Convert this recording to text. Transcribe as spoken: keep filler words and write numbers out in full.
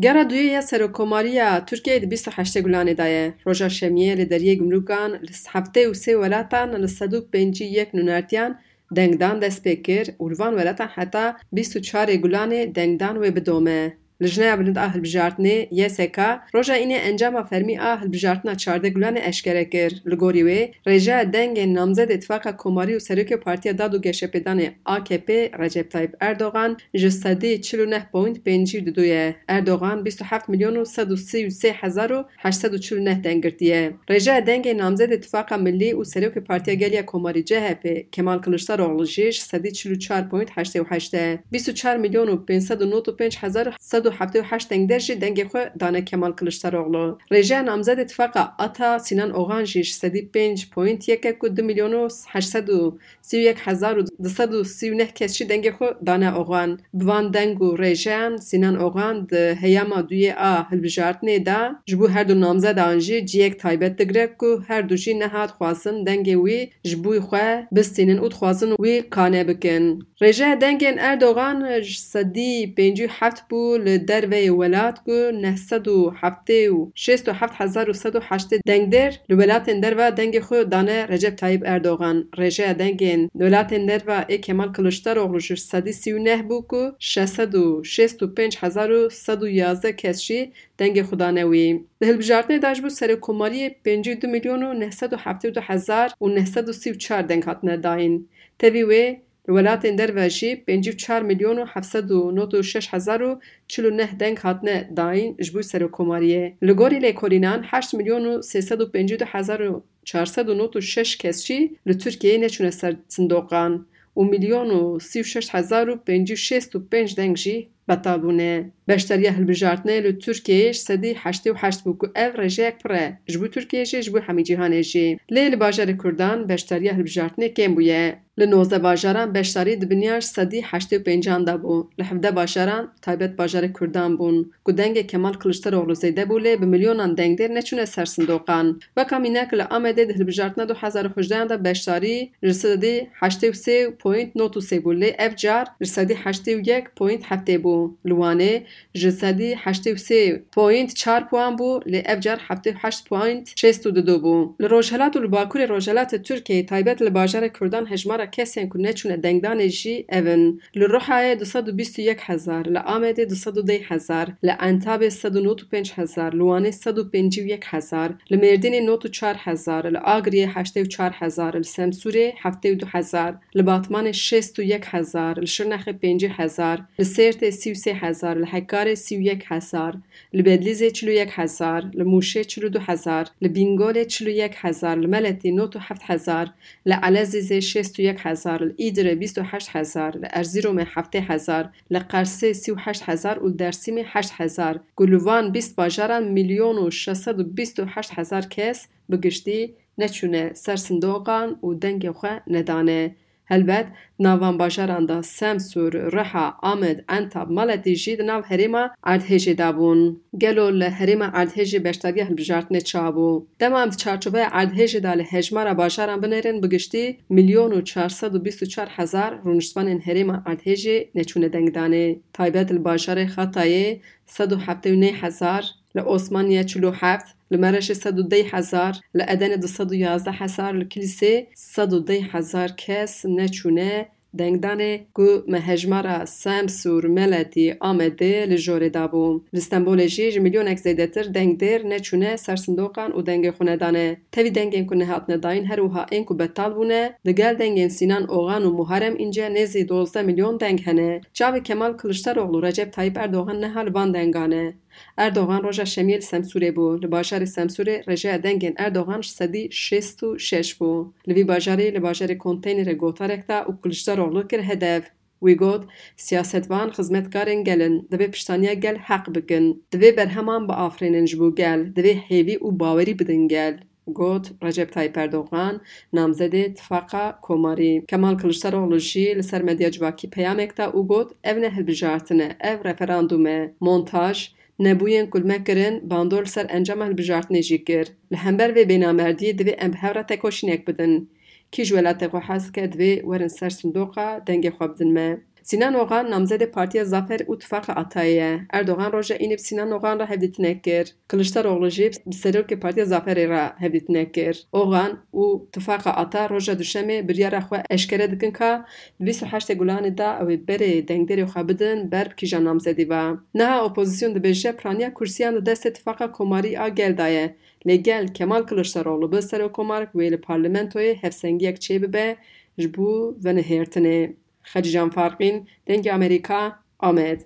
Gera duyê ya Serokkomariya Tirkiyeyê di bîst û heştê Gulanê de ye. Roja Şemiyê li deriyê gumrûkan li heftê û sê welatan li sed û pêncî û yek nûnertiyan dengdan dest pê kir û li van welatan heta bîst û çarê Gulanê dengdan wê bidome. Lijneya Bilind a Hilbijartinê, Y S K, roja înê encama fermî a hilbijartina çardeh Gulanê eşkere kir. Li gorî wê, rêjeya dengên namzedê Tifaqa Komarî û Serokê Partiya Dad û Geşepêdanê A K P Recep Tayyip Erdogan ji sedî çil û neh point pêncî û du ye. Erdogan bîst û heft milyon û sed û sî û sê hezar û heşt sed û çil û neh deng girtiye. Rêjeya dengê namzedê Tifaqa Millî û Serokê Partiya Gel ya Komarî C H P Kemal Kiliçdaroglu jî ji sedî çil û çar point heştê û heşt e. Bîst û çar milyon û pênc sed û nod û pênc hezar û sed û heftê û heşt dengder jî dengê xwe dane Kemal Kiliçdaroglu. Rêjeya namzedê Tifaqa Ata Sinan Oxan jî ji sedî pênc point yek e ku du milyon û heşt sed û sî û yek hezar û du sed û sî û neh kes jî dengê xwe dane Oxan. Bi van deng û rêjeyan Sinan Oxan di heyama duyê a hilbijartinê de ji bo her du namzedan jî cihek taybet digire ku her du jî niha dixwazin dengê wî ji bo xwe bistînin û dixwazin wî qane bikin. Rêjeya dengên Erdogan ji sedî pêncî û heft bû li derveyê welat ku neh sed û heftê û şêst û heft hezar û sed û heştê dengdêr li welatên derve dengê xwe dane Recep Tayyip Erdogan. Rêjeya dengên welatên derve ê Kemal Kiliçdaroglu ji sedî sî û neh bû ku şeş sed û şêst û pênc hezar û sed û yazdeh kes jî dengê xwe dane wî. Di hilbijartinê de ji bo serokkomariyê pêncî û du milyon û neh sed û heftê û du hezar û neh sed û sî û çar deng hatine dayîn. Tevî wê, li welatên derve jî pêncî û çar milyon û heft sed û nod û şeş hezar û çil û neh deng hatine dayîn ji bo serokkomariyê. Li gorî lêkolînan heşt milyon û sê sed û pêncî û du hezar û çar sed û nod û şeş kes jî li Tirkiyeyê neçûne ser sindoqan û milyon û sî û şeş hezar û pêncî û şêst û pênc deng jî betal bûne. Beşdariya hilbijartinê li Tirkiyeyê ji sedî heştê û heşt bû ku ev rêjeyek pir e, ji bo Tirkiyeyê jî, ji bo hemî cîhanê jî. Lê li bajarê Kurdan beşdariya hilbijartinê kêm bûye. Li nozdeh bajaran beşdarî di binya ji sedî heştê û pêncan de bû. Li hevdeh bajaran taybet bajarê Kurdan bûn ku dengê Kemal Kiliçdaroglu zêde bû, lê bi milyonan dengdêr neçûne ser sindoqan. Weka mînak li Amedê di hilbijartina du hezar û hejdehan de beşdarî ji sedî heştê û sê point nod û sê bû, lê ev car ji sedî heştê û yek point heftê bû. Li Wanê ji sedî heştê û sê point çar puan bû, lê ev car heftê û heşt point şêst û du bû. Li Rojhilat û li Bakurê Rojhilatê Tirkiyeyê, taybet li bajarê Kurdan, hejmara kesên ku neçûne dengdanê jî ev in: Li Ruhayê du sed û bîst û yek hezar, li Amedê du sed û deh hezar, li Entabê sed û nod û pênc hezar, li Wanê sed û pêncî û yek hezar, li Mêrdînê nod û çar hezar, li Agiriyê heştê û çar hezar, li Semsûrê heftê û du hezar, li Batmanê şêst û yek hezar, li Şirnexê pêncî hezar, li Sêrtê sî û sê hezar, li Hekarê sî û yek hezar, li Bedlîzê çil û yek hezar, li Mûşê çil û du hezar, li Bîngolê çil û yek hezar, li Meletî nod û heft hezar, li Elezîzê şêst û yek hezar, li Îdirê bîst û heşt hezar, li Erzîromê heftê hezar, li Qersê sî û heşt hezar û li Dersîmê heşt hezar, ku li van bîst bajaran milyon û şeş sed û bîst û heşt hezar kes bi giştî neçûne ser sindoqan û dengê xwe nedane. Helbet, di nav van bajaran de Semsûr, Riha, Amed, Entab, Maletî jî di nav herêma erdhêjê de bûn. Gelo li herêma erdhêjê beşdariya hilbijartinê çawa bû? Dema em di çarçoveya erdhêjê de li hejmara bajaran binêrin, bi giştî milyon û çar sed û bîst û çar hezar rûniştvanên herêma erdhêjê neçûne dengdanê. Taybet li bajarê Xatayê sed û heftê û neh hezar, li Osmaniye çil û heft, li Mereşê sed û deh hezar, li Edenê du sed û yazdeh hezar, li Kilîsê sed û deh hezar kes neçûne dengdanê, ku me hejmara Semsûr, Meletî, Amedê li jorê dabû. Li Stenbolê jî ji milyonek zêdetir dengdêr neçûne ser sindoqan û dengê xwe nedane. Tevî dengên ku nehatine dayîn, her wiha ên ku betal bûne, digel dengên Sînan Oxan û Muharem Înce nêzî dozdeh milyon deng hene. Çavê Kemal Kiliçdaroglu Recep Tayyip Erdogan niha li van dengan e. Erdogan roja Şemiyê li Semsûrê bû. Li bajarê Semsûrê rêjeya dengên Erdogan ji sedî şêst û şeş bû. Li vî bajarê, li bajarê konteynerê gotarek da û Kiliçdaroglu kir hedef. Wî got, siyasetvan xizmetkarên gel in, divê piştaniya gel heq bikin. Divê berheman biafirînin ji bo gel, divê hêvî û bawerî bidin gel, got Recep Tayyip Erdogan, namzedê Tifaqa Komarî. Kemal Kiliçdaroglu jî li ser medya civakî peyamek da û got, ev ne hilbijartin e, ev referandûm e. Montaj, nebûyên ku li me kirin, bandor li ser encama hilbijartinê jî kir. Li hember vê bênamerdiyê divê em bi hev re tekoşînek bidin. Kî ji welatê xwe hez dike, divê werin ser sindoqa dengê xwe bidin me. Sinan Ogan namzedê Partiya Zafer û Tifaqa Atayê ye. Erdogan roja Înê bi Sinan Ogan re hevdîtinek kir. Kiliçdaroglu jî bi serokê Partiya Zaferê re hevdîtinek kir. Ogan û Tifaqa Ata roja Duşemê biryara xwe eşkere dikin ka di bîst û heştê Gulanê de ew ê berê dengdêrê xwe bidin ber bi kîjan namzedî ve. Niha opozîsyon dibêje piraniya kursîyan di destê Tifaqa Komarî a Gel de ye. Lê gel Kemal Kiliçdaroglu bi serokkomarek wê li parlamentoyê hevsengiyek çêbibe ji bo venihêrtinê. Xecîcan Farqîn, Dengê Amerîka, Amed.